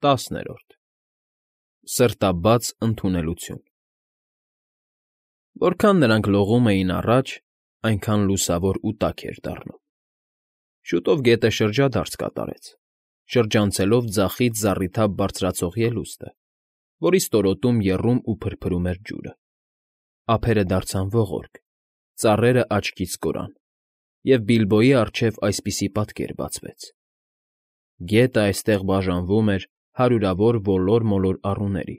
10 Սրտաբաց ընդունելություն Որքան նրանք լողում էին առաջ, այնքան լուսավոր ու տաք էր դառնում։ Շուտով գետը շրջադարձ կատարեց, շրջանցելով ձախից զառիթափ բարձրացող ելուստը, որի ստորոտում եռում ու փրփրում էր ջուրը։ Ափերը դարձան ողորկ, ծառերը աչքից կորան, և Բիլբոյի առջև այսպիսի պատկեր բացվեց. գետը այստեղ բաժանվում էր հարյուրավոր ոլոր֊մոլոր առուների,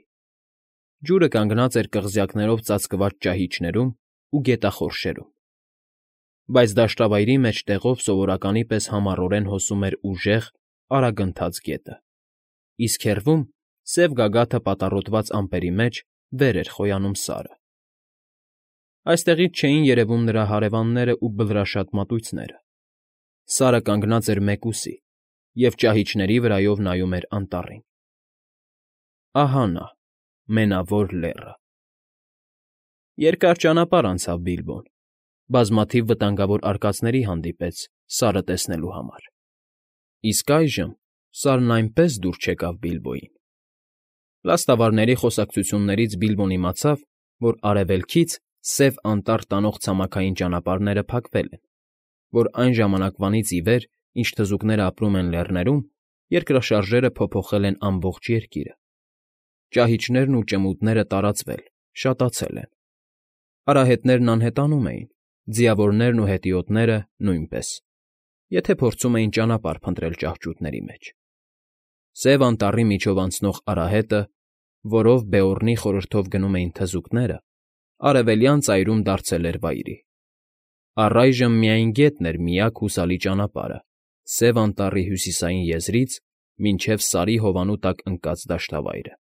ջուրը կանգնած էր կղզյակներով ծածկված ճահիճներում ու գետախորշերում, բայց դաշտավայրի մեջտեղով սովորականի պես համառորեն հոսում էր ուժեղ, արագընթաց գետը, իսկ հեռվում, սև գագաթը պատառոտված ամպերի մեջ, վեր էր խոյանում Սարը։ Այստեղից չէին երևում նրա հարևաններն ու բլրաշատ մատույցները։ Սարը կանգնած էր մեկուսի և ճահիճների վրայով նայում էր անտառին։ Ահա նա, Մենավոր Լեռը։ Երկար ճանապարհ անցավ Բիլբոն, բազմաթիվ վտանգավոր արկածների հանդիպեց Սարը տեսնելու համար։ Իսկ այժմ Սարն այնպես դուր չեկավ Բիլբոյին։ Լաստավարների խոսակցություններից Բիլբոն իմացավ, որ արևելքից Սև Անտառ տանող ցամաքային ճանապարհները փակվել են, որ այն ժամանակվանից ի վեր, ինչ թզուկները ապրում են լեռներում, երկրաշարժերը փոփոխել են ամբողջ երկիրը։ Ճահիճներն ու ճմուտները տարածվել, շատացել են։ Արահետներն անհետանում էին, ձիավորներն ու հետիոտները՝ նույնպես, եթե փորձում էին ճանապարհ փնտրել ճահճուտների մեջ։ Սև Անտառի միջով անցնող արահետը, որով Բեորնի խորհրդով գնում էին թզուկները, արևելյան ծայրում դարձել էր վայրի։ Առայժմ միայն գետն էր միակ հուսալի ճանապարհը Սև Անտառի հյուսիսային եզրից մինչև Սարի հովանու տակ ընկած դաշտավայրը։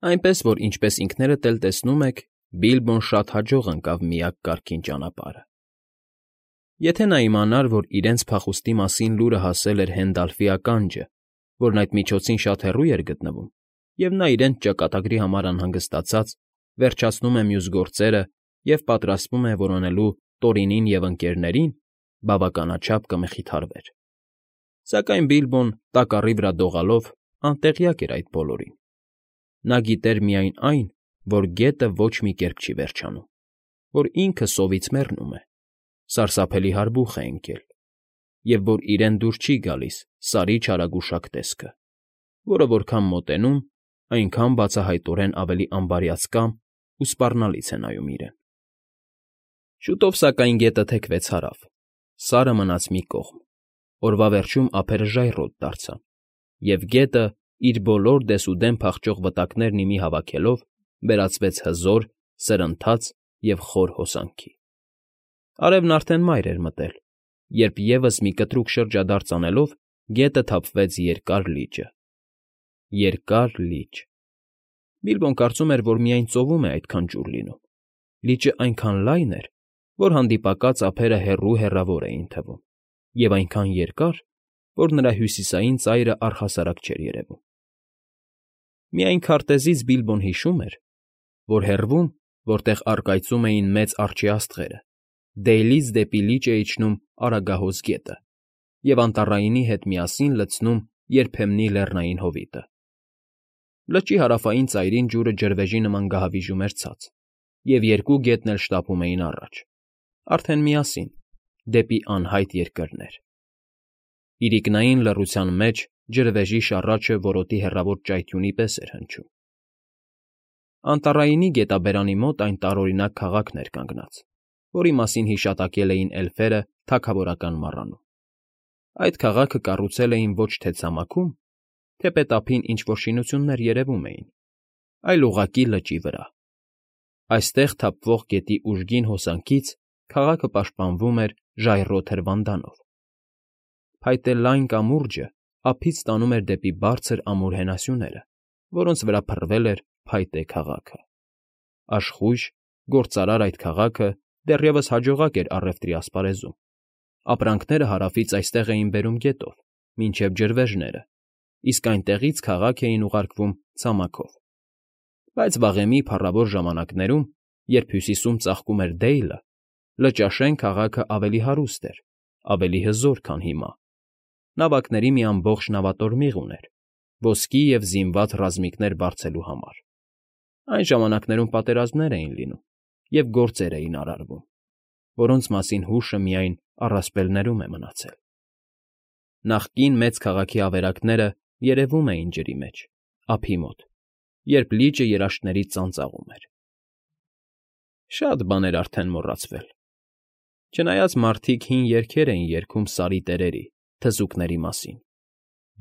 Այնպես որ, ինչպես ինքներդ էլ տեսնում եք, Բիլբոն շատ հաջող ընկավ միակ կարգին ճանապարհը։ Եթե նա իմանար, որ իրենց փախուստի մասին լուրը հասել էր Հենդալֆի ականջը, որն այդ միջոցին շատ հեռու էր գտնվում, և նա իրենց ճակատագրի համար անհանգստացած, վերջացնում է մյուս գործերը և պատրաստվում է որոնելու Տորինին և Ընկ.֊ին, բավականաչափ կմխիթարվեր։ Սակայն Բիլբոն, տակառի վրա դողալով, անտեղյակ էր այդ բոլորին։ Նա գիտեր միայն այն, որ գետը ոչ մի կերպ չի վերջանում, որ ինքը սովից մեռնում է, սարսափելի հարբուխ է ընկել, և որ իրեն դուր չի գալիս Սարի չարագուշակ տեսքը, որը որքան մոտենում, այնքան բացահայտորեն ավելի անբարյացկամ ու սպառնալից է նայում իրեն։ Շուտով, սակայն, գետը թեքվեց հարավ, Սարը մնաց մի կողմ, օրվա վերջում ափերը ժայռոտ դարձան, և գետը, իր բոլոր դեսուդեն փախչող վտակներն ի մի հավաքելով, վերածվեց հզոր, սրընթաց և խոր հոսանքի։ Արևն արդեն մայր էր մտել, երբ ևս մի կտրուկ շրջադարձ անելով գետը թափվեց Երկար լիճը։ Երկար լիճ… Բիլբոն կարծում էր, որ միայն ծովում է այդքան ջուր լինում։ Լիճը այնքան լայն էր, որ հանդիպակաց ափերը հեռու֊հեռավոր էին թվում, և այնքան երկար, որ նրա հյուսիսային ծայրը առհասարակ չէր երևում։ Միայն քարտեզից Բիլբոն հիշում էր, որ հեռվում, որտեղ առկայծում էին մեծ արջի աստղերը, Դեյլից դեպի լիճ է իջնում Արագահոս գետը և Անտառայինի հետ միասին լցնում երբեմնի լեռնային հովիտը։ Լճի հարավային ծայրին ջուրը ջրվեժի նման գահավիժում էր ցած, և երկու գետն էլ շտապում էին առաջ, արդեն միասին, դեպի անհայտ երկրներ։ Իրիկնային լռության մեջ ջրվեժի շառաչը որոտի հեռավոր ճայթյունի պես էր հնչում։ Անտառայինի գետաբերանի մոտ այն տարօրինակ քաղաքն էր կանգնած, որի մասին հիշատակել էին էլֆերը թագավորական մառանում։ Այդ քաղաքը կառուցել էին ոչ թե ցամաքում, թեպետ ափին ինչ֊որ շինություններ երևում էին, այլ ուղղակի լճի վրա։ Այստեղ թափվող գետի ուժգին հոսանքից քաղաքը պաշտպանվում էր ժայռոտ հրվանդանով։ Փայտե լայն կամուրջը ափից տանում էր դեպի բարձր ամուր հենասյուները, որոնց վրա փռվել էր փայտե քաղաքը։ Աշխույժ, գործարար այդ քաղաքը դեռևս հաջողակ էր առևտրի ասպարեզում։ Ապրանքները հարավից այստեղ էին բերում գետով, մինչև ջրվեժները, իսկ այնտեղից քաղաք էին ուղարկվում ցամաքով։ Բայց վաղեմի փառավոր ժամանակներում, երբ հյուսիսում ծաղկում էր Դեյլը, Լճաշեն քաղաքը ավելի հարուստ էր, ավելի հզոր, քան հիմա։ Նավակների մի ամբողջ նավատորմիղ ուներ, ոսկի և զինված ռազմիկներ բարձելու համար։ Այն ժամանակներում պատերազմներ էին լինում և գործեր էին արարվում, որոնց մասին հուշը միայն առասպելներում է մնացել։ Նախկին մեծ քաղաքի ավերակները երևում էին ջրի մեջ, ափի մոտ, երբ լիճը երաշտներից ծանծաղում էր։ Շատ բաներ արդեն մոռացվել։ Չնայած մարդիկ հին երգեր էին երգում Սարի տերերի, թզուկների մասին,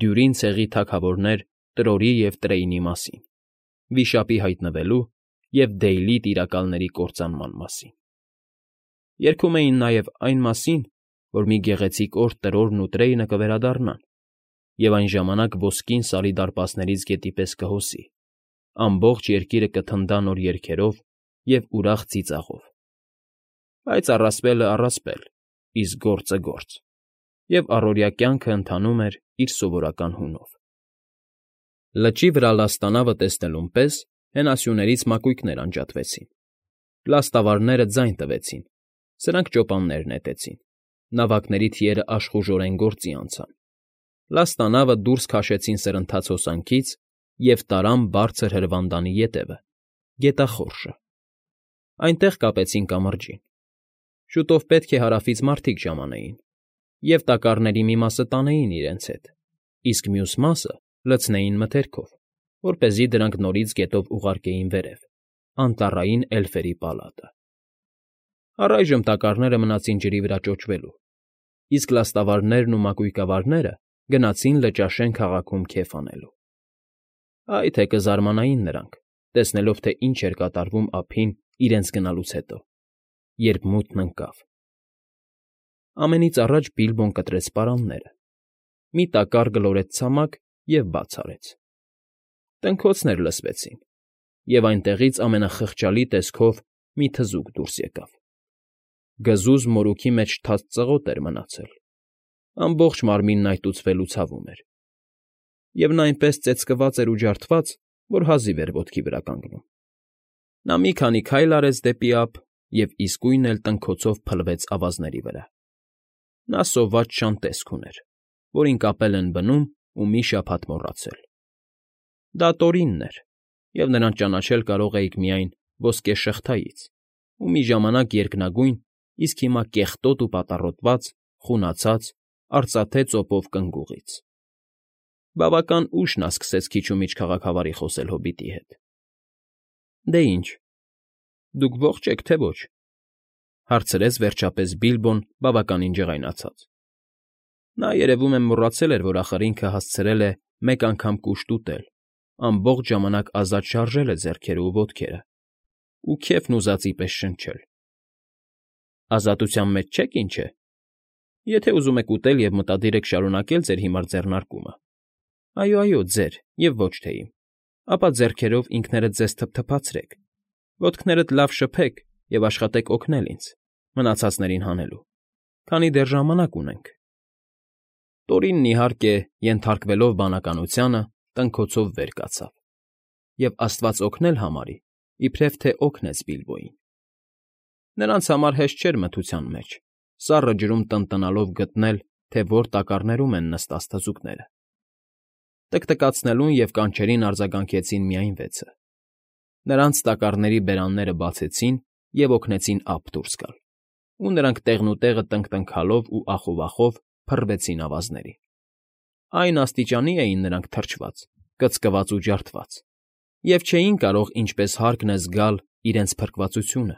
Դյուրին ցեղի թագավորներ Տրորի և Տրեյնի մասին, վիշապի հայտնվելու և Դեյլի տիրակալների կործանման մասին։ Երգում էին նաև այն մասին, որ մի գեղեցիկ օր Տրորն ու Տրեյնը կվերադառնան, և այն ժամանակ ոսկին Սարի դարպասներից գետի պես կհոսի, ամբողջ երկիրը կթնդա նոր երգերով և ուրախ ծիծաղով։ Բայց առասպելը առասպել, իսկ գործը գործ, և առօրյա կյանքը ընթանում էր իր սովորական հունով։ Լճի վրա լաստանավը տեսնելուն պես հենասյուներից մակույկներ անջատվեցին։ Լաստավարները ձայն տվեցին, սրանք ճոպաններ նետեցին, նավակների թիերը աշխուժորեն գործի անցան։ Լաստանավը դուրս քաշեցին սրընթաց հոսանքից և տարան բարձր հրվանդանի ետևը, գետախորշը։ Այնտեղ կապեցին կամրջին։ Շուտով պետք է հարավից մարդիկ ժամանեին, և տակառների մի մասը տանեին իրենց հետ, իսկ մյուս մասը լցնեին մթերքով, որպեսզի դրանք նորից գետով ուղարկեին վերև, անտառային էլֆերի պալատը։ Առայժմ տակառները մնացին ջրի վրա ճոճվելու, իսկ լաստավարներն ու մակույկավարները գնացին Լճաշեն քաղաքում քեֆ անելու։ Այ թե կզարմանային նրանք, տեսնելով, թե ինչ էր կատարվում ափին իրենց գնալուց հետո, երբ մութն ընկավ։ Ամենից առաջ Բիլբոն կտրեց պարանները, մի տակառ գլորեց ցամաք և բաց արեց։ Տնքոցներ լսվեցին, և այնտեղից ամենախղճալի տեսքով մի թզուկ դուրս եկավ։ Գզուզ մորուքի մեջ թաց ծղոտ էր մնացել, ամբողջ մարմինն այտուցվել ու ցավում էր, և նա այնպես ծեծկված էր ու ջարդված, որ հազիվ էր ոտքի վրա կանգնում։ Նա մի քանի քայլ արեց դեպի ափ և իսկույն էլ տնքոցով փլվեց ավազների վրա։ Նա սոված շան տեսք ուներ, որին կապել են բնում ու մի շաբաթ մոռացել։ Դա Տորինն էր, և նրան ճանաչել կարող էիք միայն ոսկեշղթայից ու մի ժամանակ երկնագույն, իսկ հիմա կեղտոտ ու պատառոտված, խունացած, արծաթե ծոպով կնգուղից։ Բավական ուշ նա սկսեց քիչ ու միչ քաղաքավարի խոսել հոբիտի հետ։ ֊ Դե ինչ, դուք ո՞ղջ եք, թե ոչ,֊ հարցրեց վերջապես Բիլբոն բավականին ջղայնացած։ Նա, երևում է, մոռացել էր, որ ախր ինքը հասցրել է մեկ անգամ կուշտ ուտել, ամբողջ ժամանակ ազատ շարժել է ձեռքերը ու ոտքերը ու քեֆն ուզածի պես շնչել։ ֊ Ազատության մեջ չե՞ք, ինչ է։ Եթե ուզում եք ուտել և մտադիր եք շարունակել ձեր հիմար ձեռնարկությունը, այո, ձեր և ոչ թե իմ, ապա ձեռքերով ինքներդ ձեզ թփթփացրեք, ոտքներդ լավ շփեք և աշխատեք օգնել ինձ, մնացածներին հանելու, քանի դեռ ժամանակ ունենք։ Տորինն, իհարկե, ենթարկվելով բանականությանը, տնքոցով վեր կացավ և աստված օգնել համարի, իբրև թե օգնեց Բիլբոյին։ Նրանց համար հեշտ չէր մթության մեջ, սառը ջրում տնտնալով գտնել, թե որ տակառներում են նստած թզուկները։ Տկտկացնելուն և կանչերին արձագանքեցին միայն վեցը։ Նրանց տակառների բերանները բացեցին և օգնեցին ափ դուրս գալ, ու նրանք տեղնուտեղը տնկտնքալով ու ախովախով փռվեցին ավազներին։ Այն աստիճանի էին նրանք թրջված, կծկված ու ջարդված, և չէին կարող ինչպես հարկն է զգալ իրենց փրկվածությունը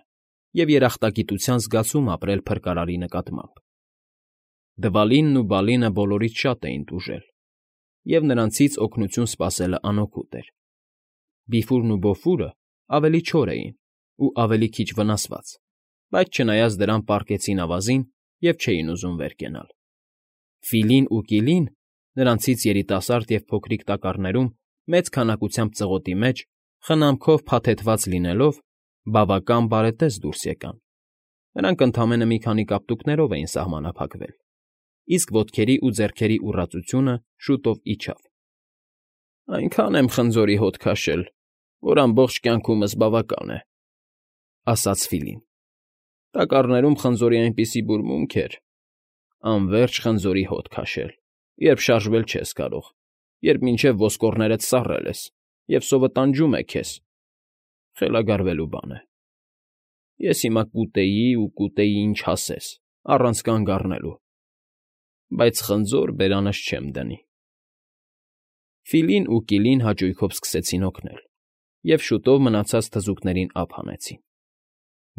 և երախտագիտության զգացում ապրել փրկարարի նկատմամբ։ Դվալինն ու Բալինը բոլորից շատ էին տուժել, և նրանցից օգնություն սպասելը անօգուտ էր։ Բիֆուրն ու Բոֆուրը ավելի չոր էին ու ավելի քիչ վնասված, բայց չնայած դրան պառկեցին ավազին և չէին ուզում վեր կենալ։ Ֆիլին ու Կիլին, նրանցից երիտասարդ և փոքրիկ տակառներում մեծ քանակությամբ ծղոտի մեջ, խնամքով փաթեթավորված լինելով, բավական բարետես դուրս եկան։ Նրանք ընդամենը մի քանի կապտուկներով էին սահմանափակվել, իսկ ոտքերի ու ձեռքերի ուռածությունը շուտով իջավ։ «Այնքան եմ խնձորի հոտ քաշել, որ ամբողջ կյանքումս բավական է,֊ ասաց Ֆիլին։ Տակառներում խնձորի այնպիսի բուրմունք էր… Անվերջ խնձորի հոտ քաշել, երբ շարժվել չես կարող, երբ մինչև ոսկորներդ սառել ես և սովը տանջում է քեզ, խելագարվելու բան է։ Ես հիմա կուտեի, ինչ ասես, առանց կանգ առնելու, բայց խնձոր բերանս չեմ դնի։ Ֆիլին ու Կիլին հաճույքով սկսեցին օգնել, և շուտով մնացած թզուկներին ափ հանեցին։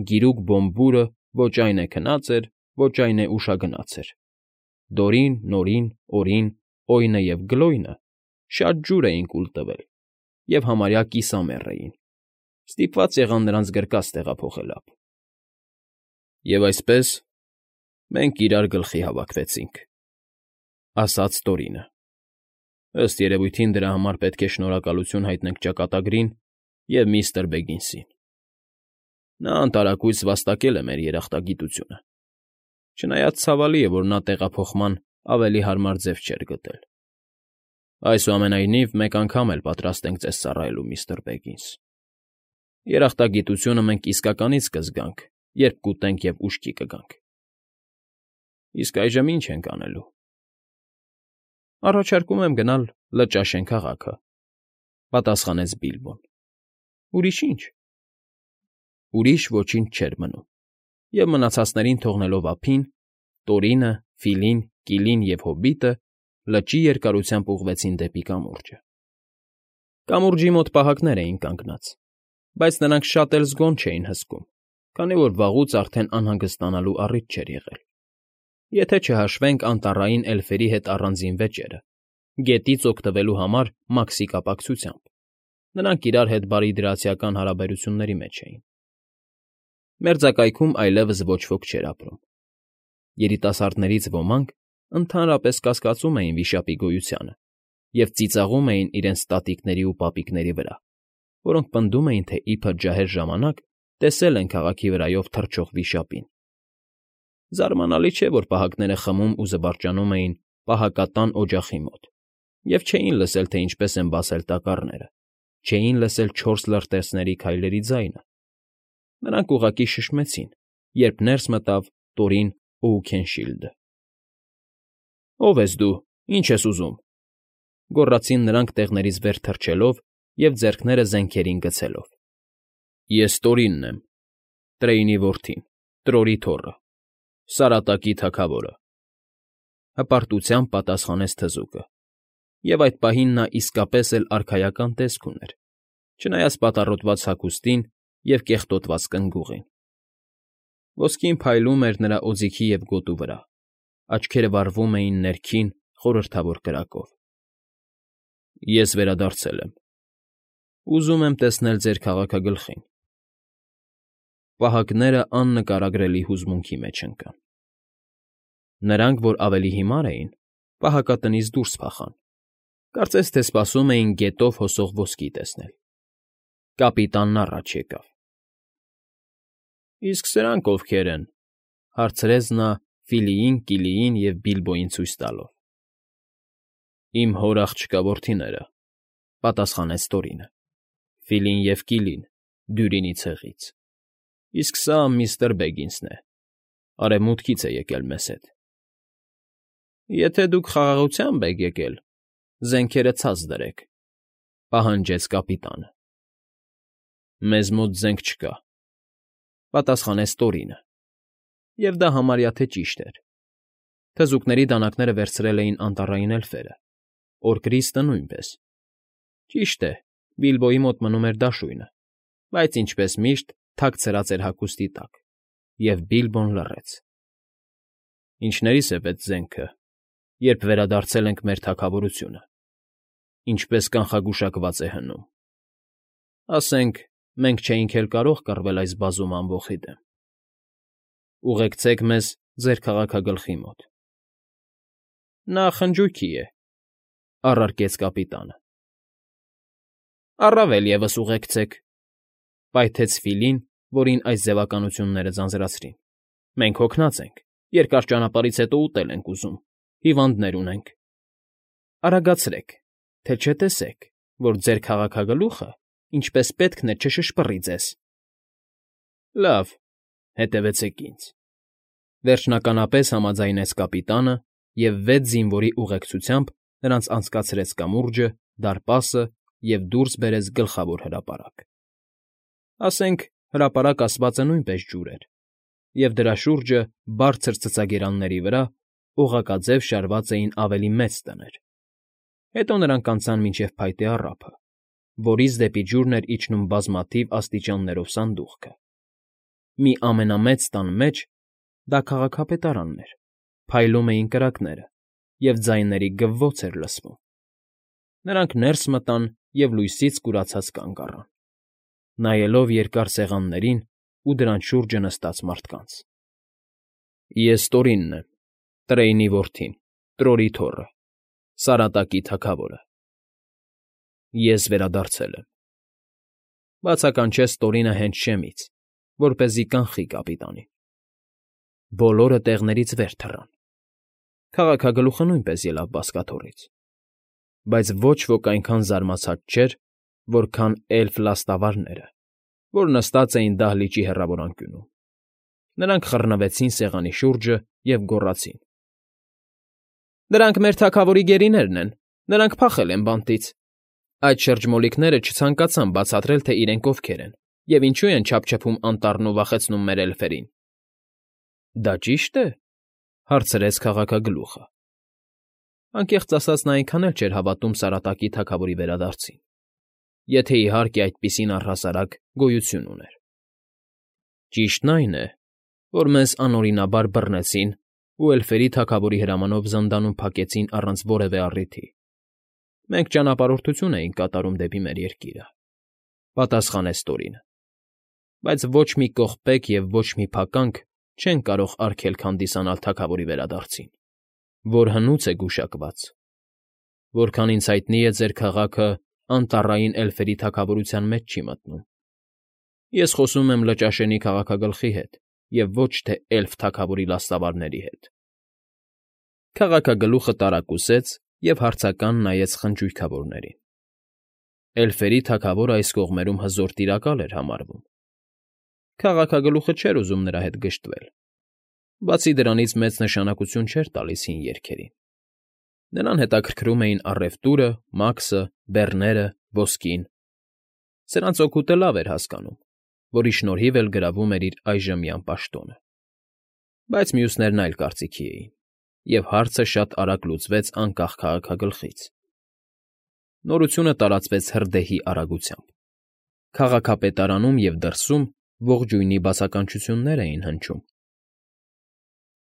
Գիրուկ Բոմբուրը ոչ այն է քնած էր, ոչ այն է ուշագնաց էր։ Դորին, Նորին, Օրին, Օյնը և Գլոյնը շատ ջուր էին կուլ տվել և համարյա կիսամեռ էին, ստիպված եղան նրանց գրկած տեղափոխել ափ։ «Եվ այսպես մենք իրար գլխի հավաքվեցինք,֊ ասաց Տորինը։ Ըստ երևույթին դրա համար պետք է շնորհակալություն հայտնենք ճակատագրին և միստր Բեգինսին. նա անտարակույս վաստակել է մեր երախտագիտությունը, չնայած ցավալի է, որ նա տեղափոխման ավելի հարմար ձև չէր գտել։ Այսուամենայնիվ, մեկ անգամ էլ պատրաստ ենք ձեզ ծառայելու, միստր Բեգինս։ Երախտագիտությունը մենք իսկականից կզգանք, երբ կուտենք և ուշքի կգանք։ Իսկ այժմ ի՞նչ ենք անելու։ Առաջարկում եմ գնալ Լճաշեն քաղաքը,֊ պատասխանեց Բիլբոն։ Ուրիշ ի՞նչ։ Ուրիշ ոչինչ չէր մնում, և մնացածներին թողնելով ափին, Տորինը, Ֆիլին, Կիլին և հոբիտը լճի երկարությամբ ուղղվեցին դեպի կամուրջը։ Կամուրջի մոտ պահակներ էին կանգնած, բայց նրանք շատ էլ զգոն չէին հսկում, քանի որ վաղուց արդեն անհանգստանալու առիթ չէր եղել։ Եթե չհաշվենք անտառային էլֆերի հետ առանձին վեճերը, գետից օգտվելու համար Մաքսի կապակցությամբ, նրանք իրար հետ բարիդրացիական հարաբերությունների մեջ էին։ Մերձակայքում այլևս ոչ ոք չէր ապրում։ Երիտասարդներից ոմանք ընդհանրապես կասկածում էին վիշապի գոյությանը և ծիծաղում էին իրենց տատիկների ու պապիկների վրա, որոնք պնդում էին, թե իբր ջահել ժամանակ տեսել են քաղաքի վրայով թռչող վիշապին։ Զարմանալի չէ, որ պահակները խմում ու զվարճանում էին պահակատան օջախի մոտ և չէին լսել, թե ինչպես են բացել տակառները, չէին լսել չորս լրտեսների քայլերի ձայնը։ Նրանք ուղղակի շշմեցին, երբ ներս մտավ Տորին Օուքենշիլդը։ Ո՞վ ես դու, ինչ ես ուզում,֊ գոռացին նրանք տեղներից վեր թռչելով և ձեռքները զենքերին գցելով։ Ես Տորինն եմ, Տրեյնի որդին, Տրորի թոռը, Սարատակի թագավորը,֊ հպարտությամբ պատասխանեց թզուկը, և այդ պահին նա իսկապես էլ արքայական տեսք ուներ, չնայած պատառոտված հագուստին և կեղտոտված կնգուղին։ Ոսկին փայլում էր նրա օձիքի և գոտու վրա, աչքերը վառվում էին ներքին, խորհրդավոր կրակով։ Ես վերադարձել եմ։ Ուզում եմ տեսնել ձեր քաղաքագլխին։ Պահակները աննկարագրելի հուզմունքի մեջ ընկան։ Նրանք, որ ավելի հիմար էին, պահակատնից դուրս փախան, կարծես թե սպասում էին գետով հոսող ոսկի տեսնել։ Կապիտանն առաջ եկավ։ Իսկ սրանք ովքե՞ր են,֊ հարցրեց նա Ֆիլիին, Կիլիին և Բիլբոյին ցույց տալով։ Իմ հոր աղջկա որդիները,֊ պատասխանեց Տորինը, Ֆիլին և Կիլին Դյուրինի ցեղից, իսկ սա միստր Բեգինսն է, արևմուտքից է եկել մեզ հետ։ Եթե դուք խաղաղությամբ եք եկել, զենքերը ցած դրեք,֊ պահանջեց կապիտանը։ Մեզ մոտ զենք չկա,֊ պատասխանեց Տորինը, և դա համարյա թե ճիշտ էր։ Թզուկների դանակները վերցրել էին անտառային էլֆերը, Օրկրիստը նույնպես։ Ճիշտ է, Բիլբոյի մոտ մնում էր դաշույնը, բայց, ինչպես միշտ, թաքցրած էր հագուստի տակ, և Բիլբոն լռեց։ Ինչներիս է պետք զենքը, երբ վերադարձել ենք մեր թագավորությունը, ինչպես կանխագուշակված է հնում։ Ասենք, մենք չէինք էլ կարող կռվել այս բազում ամբոխի դեմ։ Ուղեկցեք մեզ ձեր քաղաքագլխի մոտ։ Նա խնջույքի է,֊ առարկեց կապիտանը։ Առավել ևս ուղեկցեք,֊ պայթեց Ֆիլին, որին այս ձևականությունները ձանձրացրին։ Մենք հոգնած ենք, երկար ճանապարհից հետո ուտել ենք ուզում, հիվանդներ ունենք։ Արագացրեք, թե չտեսեք, որ ձեր քաղաքագլուխը ինչպես պետք է չշշպռի ձեզ։ Լավ, հետևեցեք ինձ,֊ վերջնականապես համաձայնեց կապիտանը և վեց զինվորի ուղեկցությամբ նրանց անցկացրեց կամուրջը, դարպասը և դուրս բերեց գլխավոր հրապարակ. ասենք, հրապարակ ասվածը նույնպես ջուր էր, և դրա շուրջը, բարձր ցցագերանների վրա, օղակաձև շարված էին ավելի մեծ տներ. հետո նրանք անցան մինչև փայտե առափը, որից դեպի ջուրն էր իջնում բազմաթիվ աստիճաններով սանդուղքը. մի ամենամեծ տան մեջ (դա քաղաքապետարանն էր) փայլում էին կրակները, և ձայների գվվոց էր լսվում. նրանք ներս մտան և լույսից կուրացած կանգ առան, նայելով երկար սեղաններին ու դրանց շուրջը նստած մարդկանց։ «Ես Տորինն եմ, Տրեյնի որդին, Տրորի թոռը, Սարատակի թագավորը։ Ես վերադարձել եմ», բացականչեց Տորինը հենց շեմից, որպեսզի կանխի կապիտանին։ Բոլորը տեղներից վեր թռան. քաղաքագլուխը նույնպես ելավ բազկաթոռից, բայց ոչ ոք այնքան զարմացած չէր, որքան էլֆ լաստավարները, որ նստած էին դահլիճի հեռավոր անկյունում. նրանք խռնվեցին սեղանի շուրջը և գոռացին. «Դրանք մեր թագավորի գերիներն են, նրանք փախել են բանտից»։ Այդ շրջմոլիկները չցանկացան բացատրել, թե իրենք ովքեր են և ինչու են չափչփում անտառն ու վախեցնում մեր էլֆերին։ «Դա ճի՞շտ է», հարցրեց քաղաքագլուխը. անկեղծ ասած, նա այնքան էլ չէր հավատում Սարատակի թագավորի վերադարձին, եթե, իհարկե, այդպիսին առհասարակ գոյություն ուներ։ «Ճիշտն այն է, որ մեզ անօրինաբար բռնեցին ու էլֆերի թագավորի հրամանով զնդանում փակեցին առանց որևէ առիթի։ Մենք ճանապարհորդություն էինք կատարում դեպի մեր երկիրը», պատասխանեց Տորինը, «բայց ոչ մի կողպեք և ոչ մի փականք չեն կարող արգելք հանդիսանալ թագավորի վերադարձին, որ հնուց է գուշակված։ Որքան ինձ հայտնի է, ձեր քաղաքը անտառային էլֆերի թագավորության մեջ չի մտնում։ Ես խոսում եմ Լճաշենի քաղաքագլխի հետ և ոչ թե էլֆ թագավորի լաստավարների հետ»։ Քաղաքագլուխը տարակուսեց և հարցական նայեց խնջույքավորներին. էլֆերի թագավորը այս կողմերում հզոր տիրակալ էր համարվում։ Քաղաքագլուխը չէր ուզում նրա հետ գժտվել, բացի դրանից մեծ նշանակություն չէր տալիս հին երգերին. նրան հետաքրքրում էին առևտուրը, մաքսը, բեռները, ոսկին. սրանց օգուտը լավ էր հասկանում, որի շնորհիվ էլ գրավում էր իր այժմյան պաշտոնը։ Բայց մյուսներն այլ կարծիքի էին, և հարցը շատ արագ լուծվեց անկախ քաղաքագլխից։ Նորությունը տարածվեց հրդեհի արագությամբ. քաղաքապետարանում և դրսում ողջույնի բացականչություններ էին հնչում.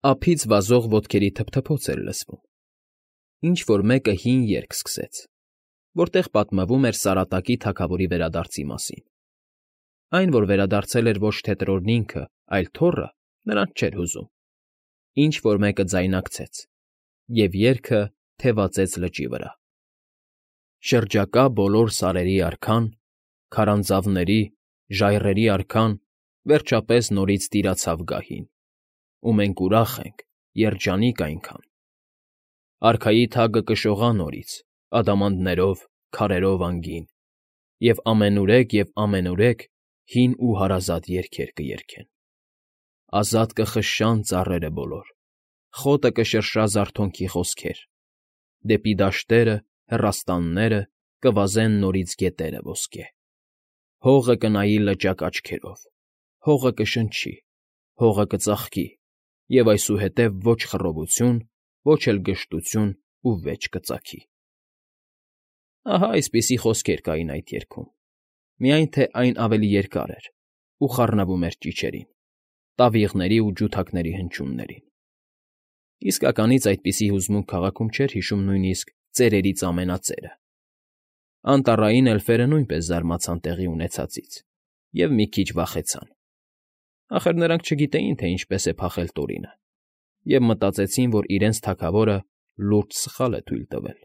ափից վազող ոտքերի թփթփոց էր լսվում. ինչ֊որ մեկը հին երգ սկսեց, որտեղ պատմվում էր Սարատակի թագավորի վերադարձի մասին։ Այն, որ վերադարձել էր ոչ թե Տրորն ինքը, այլ թոռը, նրանց չէր հուզում. ինչ֊որ մեկը ձայնարկեց, և երգը թևածեց լճի վրա. «Շրջակա բոլոր սարերի արքան, քարանձավների, ժայռերի արքան վերջապես նորից տիրացավ գահին, ու մենք ուրախ ենք, երջանիկ այնքան։ Արքայի թագը կշողա նորից, ադամանդներով, քարերով անգին, և ամենուրեք հին ու հարազատ երգեր կերգեն։ Ազատ կխշշան ծառերը բոլոր, խոտը կշրշա զարթոնքի խոսքեր, դեպի դաշտերը, հեռաստանները կվազեն նորից գետերը ոսկե։ Հողը կնայի լճակ աչքերով, հողը կշնչի, հողը կծաղկի, և այսուհետև ոչ խռովություն, ոչ էլ գժտություն ու վեճ կծագի»։ Ահա այսպիսի խոսքեր կային այդ երգում, միայն թե այն ավելի երկար էր ու խառնվում էր ճիչերին, տավիղների ու ջութակների հնչյուններին։ Իսկականից այդպիսի հուզմունք քաղաքում չէր հիշում նույնիսկ ծերերից ամենածերը։ Անտառային էլֆերը նույնպես զարմացան տեղի ունեցածից և մի քիչ վախեցան. ախր նրանք չգիտեին, թե ինչպես է փախել Տորինը, և մտածեցին, որ իրենց թագավորը լուրջ սխալ է թույլ տվել։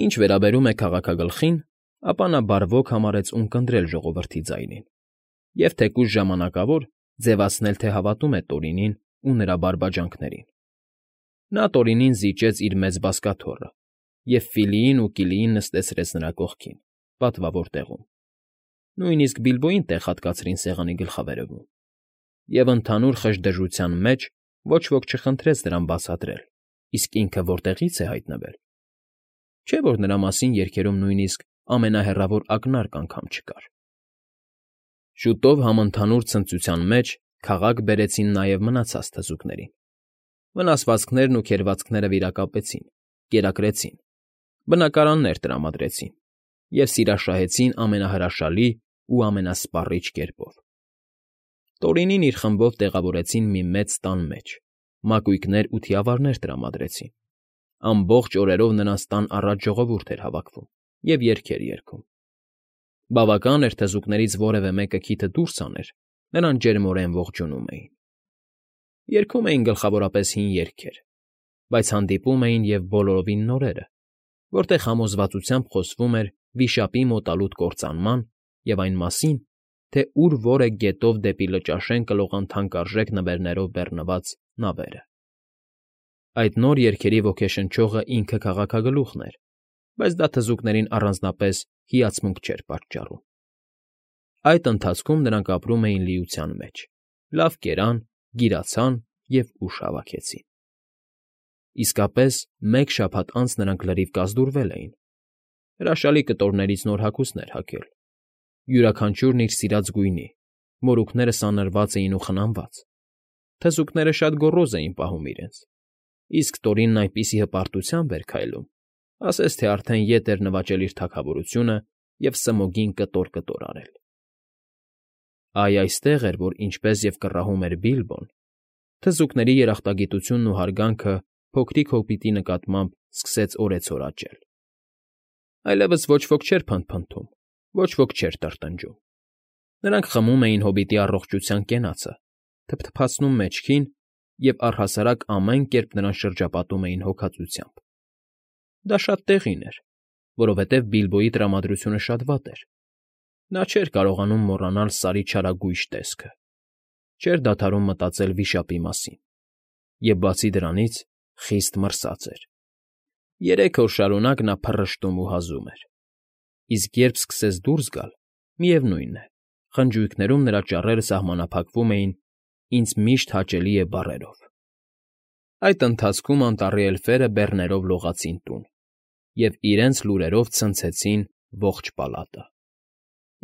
Ինչ վերաբերում է քաղաքագլխին, ապա նա բարվոք համարեց ունկնդրել ժողովրդի ձայնին և թեկուզ ժամանակավոր ձևացնել, թե հավատում է Տորինին ու նրա բարբաջանքներին։ Նա Տորինին զիջեց իր մեծ բազկաթոռը և Ֆիլիին ու Կիլիին նստացրեց նրա կողքին, պատվավոր տեղում. նույնիսկ Բիլբոյին տեղ հատկացրին սեղանի գլխավերևում, և ընդհանուր խժդժության մեջ ոչ ոք չխնդրեց նրան բացատրել՝ իսկ ինքը որտեղից է հայտնվել չէ՞ որ նրա մասին երգերում նույնիսկ ամենահեռավոր ակնարկ անգամ չկար։ Շուտով համընդհանուր ցնծության մեջ քաղաք բերեցին նաև մնացած թզուկներին։ Վնասվածքներն ու քերծվածքները վիրակապեցին, կերակրեցին, բնակարաններ տրամադրեցին և սիրաշահեցին ամենահրաշալի ու ամենասպառիչ կերպով։ Տորինին իր խմբով տեղավորեցին մի մեծ տան մեջ, մակույկներ ու թիավարներ տրամադրեցին։ Ամբողջ օրերով նրանց տան առաջ ժողովուրդ էր հավաքվում և երգեր երգում։ Բավական էր թզուկներից որևէ մեկը քիթը դուրս հաներ, նրան ջերմորեն ողջունում էին։ Երգում էին գլխավորապես հին երգեր, բայց հանդիպում էին և բոլորովին նորերը, որտեղ համոզվածությամբ խոսվում էր վիշապի մոտալուտ կործանման և այն մասին, թե ուր որ է գետով դեպի Լճաշեն կլողան թանկարժեք նվերներով բեռնված նավերը։ Այդ նոր երգերի ոգեշնչողը ինքը քաղաքագլուխն էր, բայց դա թզուկներին առանձնապես հիացմունք չէր պատճառում։ Այդ ընթացքում նրանք ապրում էին լիության մեջ, լավ կերան, գիրացան և ուժ հավաքեցին։ Իսկապես, մեկ շաբաթ անց նրանք լրիվ կազդուրվել էին, հրաշալի կտորներից նոր հագուստներ հագել, յուրաքանչյուրն իր սիրած գույնի, մորուքները սանրված էին ու խնամված։ Թզուկները շատ գոռոզ էին պահում իրենց, իսկ Տորինն այնպիսի հպարտությամբ էր քայլում, ասես թե արդեն ետ էր նվաճել իր թագավորությունը և սմոգին կտոր արել։ Այ այստեղ էր, որ ինչպես և կռահում էր Բիլբոն, թզուկների երախտագիտությունն ու հարգանքը փոքրիկ հոբիտի նկատմամբ սկսեց օրեցօր աճել։ Այլևս ոչ ոք չէր փնթփնթում, ոչ ոք չէր տրտնջում։ Նրանք խմում էին հոբիտի առողջության կենացը, թփթփացնում մեջքին և առհասարակ ամեն կերպ նրան շրջապատում էին հոգածությամբ։ Դա շատ տեղին էր, որովհետև Բիլբոյի տրամադրությունը շատ վատ էր։ Նա չէր կարողանում մոռանալ Սարի չարագույժ տեսքը, չէր դադարում մտածել վիշապի մասին և, բացի դրանից, խիստ մրսած էր։ 3 օր շարունակ նա փռշտում ու հազում էր, իսկ երբ սկսեց դուրս գալ, միևնույն է, խնջույքներում նրա ճառերը սահմանափակվում էին «Ինձ միշտ հաճելի է» բառերով։ Այդ ընթացքում անտառի էլֆերը բեռներով լողացին տուն և իրենց լուրերով ցնցեցին ողջ պալատը։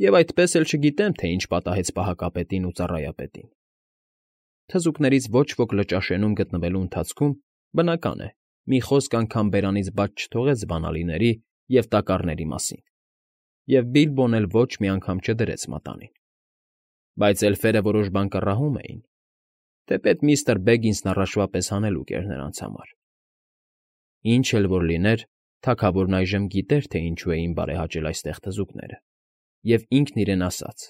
Եվ այդպես էլ չգիտեմ, թե ինչ պատահեց պահակապետին ու ծառայապետին։ Թզուկներից ոչ ոք Լճաշենում գտնվելու ընթացքում, բնական է, մի խոսք անգամ բերանից բաց չթողեց բանալիների և տակառների մասին, և Բիլբոն էլ ոչ մի անգամ չդրեց մատանին։ Բայց էլֆերը որոշ բան կռահում էին, թեպետ միստր Բեգինսն առաջվա պես հանելուկ էր նրանց համար։ Ինչ էլ որ լիներ, թագավորն այժմ գիտեր, թե ինչու էին բարեհաճել այստեղ թզուկները, և ինքն իրեն ասաց.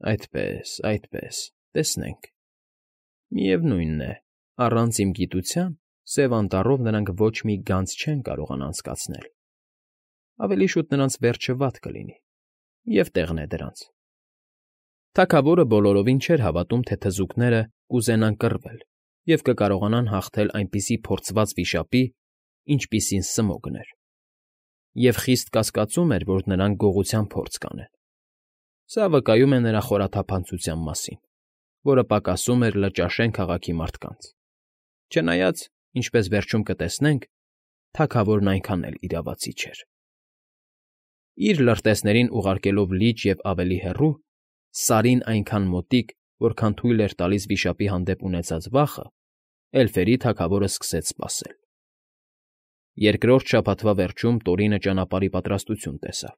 «Այդպես, տեսնենք։ Միևնույն է, առանց իմ գիտության Սև Անտառով նրանք ոչ մի գանձ չեն կարողանա անցկացնել։ Ավելի շուտ նրանց վերջը վատ կլինի, և տեղն է դրանց»։ Թագավորը բոլորովին չէր հավատում, թե թզուկները կուզենան կռվել և կկարողանան հաղթել այնպիսի փորձված վիշապի, ինչպիսին Սմոգն էր, և խիստ կասկածում էր, որ նրանք գողության փորձ կանեն։ Սա վկայում է նրա խորաթափանցության մասին, որը պակասում էր Լճաշեն քաղաքի մարդկանց։ Չնայած, ինչպես վերջում կտեսնենք, թագավորն այնքան էլ իրավացի չէր։ Իր լրտեսներին ուղարկելով լիճ և ավելի հեռու, Սարին այնքան մոտիկ, որքան թույլ էր տալիս վիշապի հանդեպ ունեցած վախը, էլֆերի թագավորը սկսեց սպասել։ Երկրորդ շաբաթվա վերջում Տորինը ճանապարհի պատրաստություն տեսավ։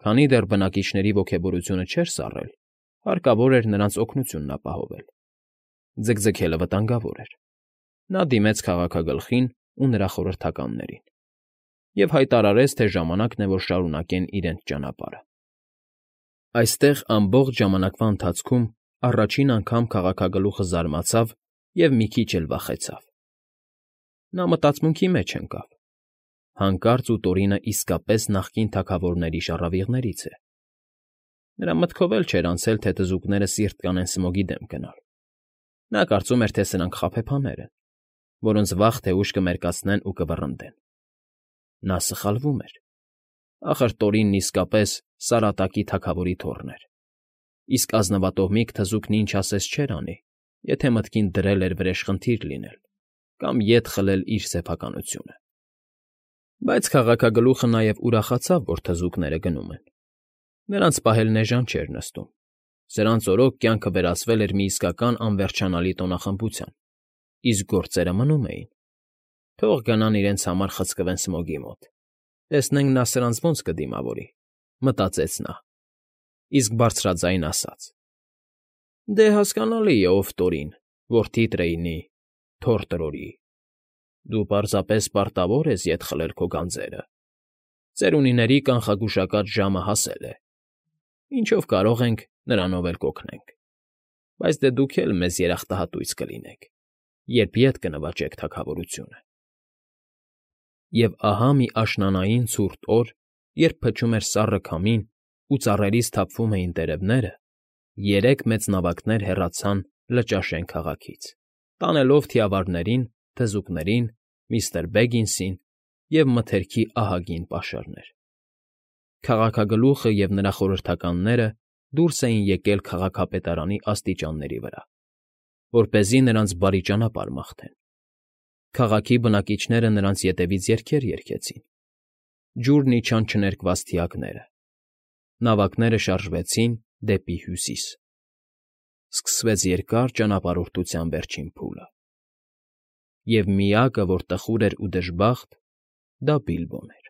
Քանի դեռ բնակիչների ոգևորությունը չէր սառել, հարկավոր էր նրանց օգնությունն ապահովել։ Ձգձգելը վտանգավոր էր։ Նա դիմեց քաղաքագլխին ու նրա խորհրդականներին և հայտարարեց, թե ժամանակն է, որ շարունակեն իրենց ճանապարհը։ Այստեղ ամբողջ ժամանակվա ընթացքում առաջին անգամ քաղաքագլուխը զարմացավ և մի քիչ էլ վախեցավ։ Նա մտածմունքի մեջ ընկավ. հանկարծ ու Տորինը իսկապես նախկին թագավորների շառավիղներից է։ Նրա մտքով էլ չէր անցել, թե թզուկները սիրտ կանեն Սմոգի դեմ գնալ։ Նա կարծում էր, թե սրանք խաբեբաներ են, որոնց վաղ թե ուշ կմերկացնեն ու կվռնդեն։ Նա սխալվում էր։ Ախր Տորինն իսկապես Սարատակի թագավորի թոռն էր, իսկ ազնվատոհմիկ թզուկն ինչ ասես չէր անի, եթե մտքին դրել էր վրեժխնդիր լինել կամ ետ խլել իր սեփականությունը։ Բայց քաղաքագլուխը նաև ուրախացավ, որ թզուկները գնում են. նրանց պահելն էժան չէր նստում, սրանց օրոք կյանքը վերածվել էր մի իսկական անվերջանալի տոնախմբության, իսկ գործերը մնում էին։ Թող գնան իրենց համար խցկվեն Սմոգի մոտ, տեսնենք նա սրանց ոնց կդիմավորի, մտածեց նա, իսկ բարձրաձայն ասաց. «Դե հասկանալի է, ով Տորին, որդի Տրեյնի, թոռ Տրորի, դու պարզապես պարտավոր ես ետ խլել քո գանձերը, ծերունիների կանխագուշակած ժամը հասել է, ինչով կարող ենք, նրանով էլ կօգնենք, բայց դե դուք էլ մեզ երախտահատույց կլինեք, երբ ետ կնվաճեք թագավորությունը»։ Եվ ահա մի աշնանային ցուրտ օր, երբ փչում էր սառը քամին ու ծառերից թափվում էին տերևները, երեք մեծ նավակներ հեռացան Լճաշեն քաղաքից, տանելով թիավարներին, թզուկներին, միստր Բեգինսին և մթերքի ահագին պաշարներ։ Քաղաքագլուխը և նրա խորհրդականները դուրս էին եկել քաղաքապետարանի աստիճանների վրա, որպեսզի նրանց բարի ճանապարհ մաղթեն։ Քաղաքի բնակիչները նրանց ետևից երգեր երգեցին, ջուրն իջան չներկված թիակները, նավակները շարժվեցին դեպի հյուսիս։ Սկսվեց երկար ճանապարհորդության վերջին փուլը։ Եվ միակը, որ տխուր էր ու դժբախտ, դա Բիլբոն էր։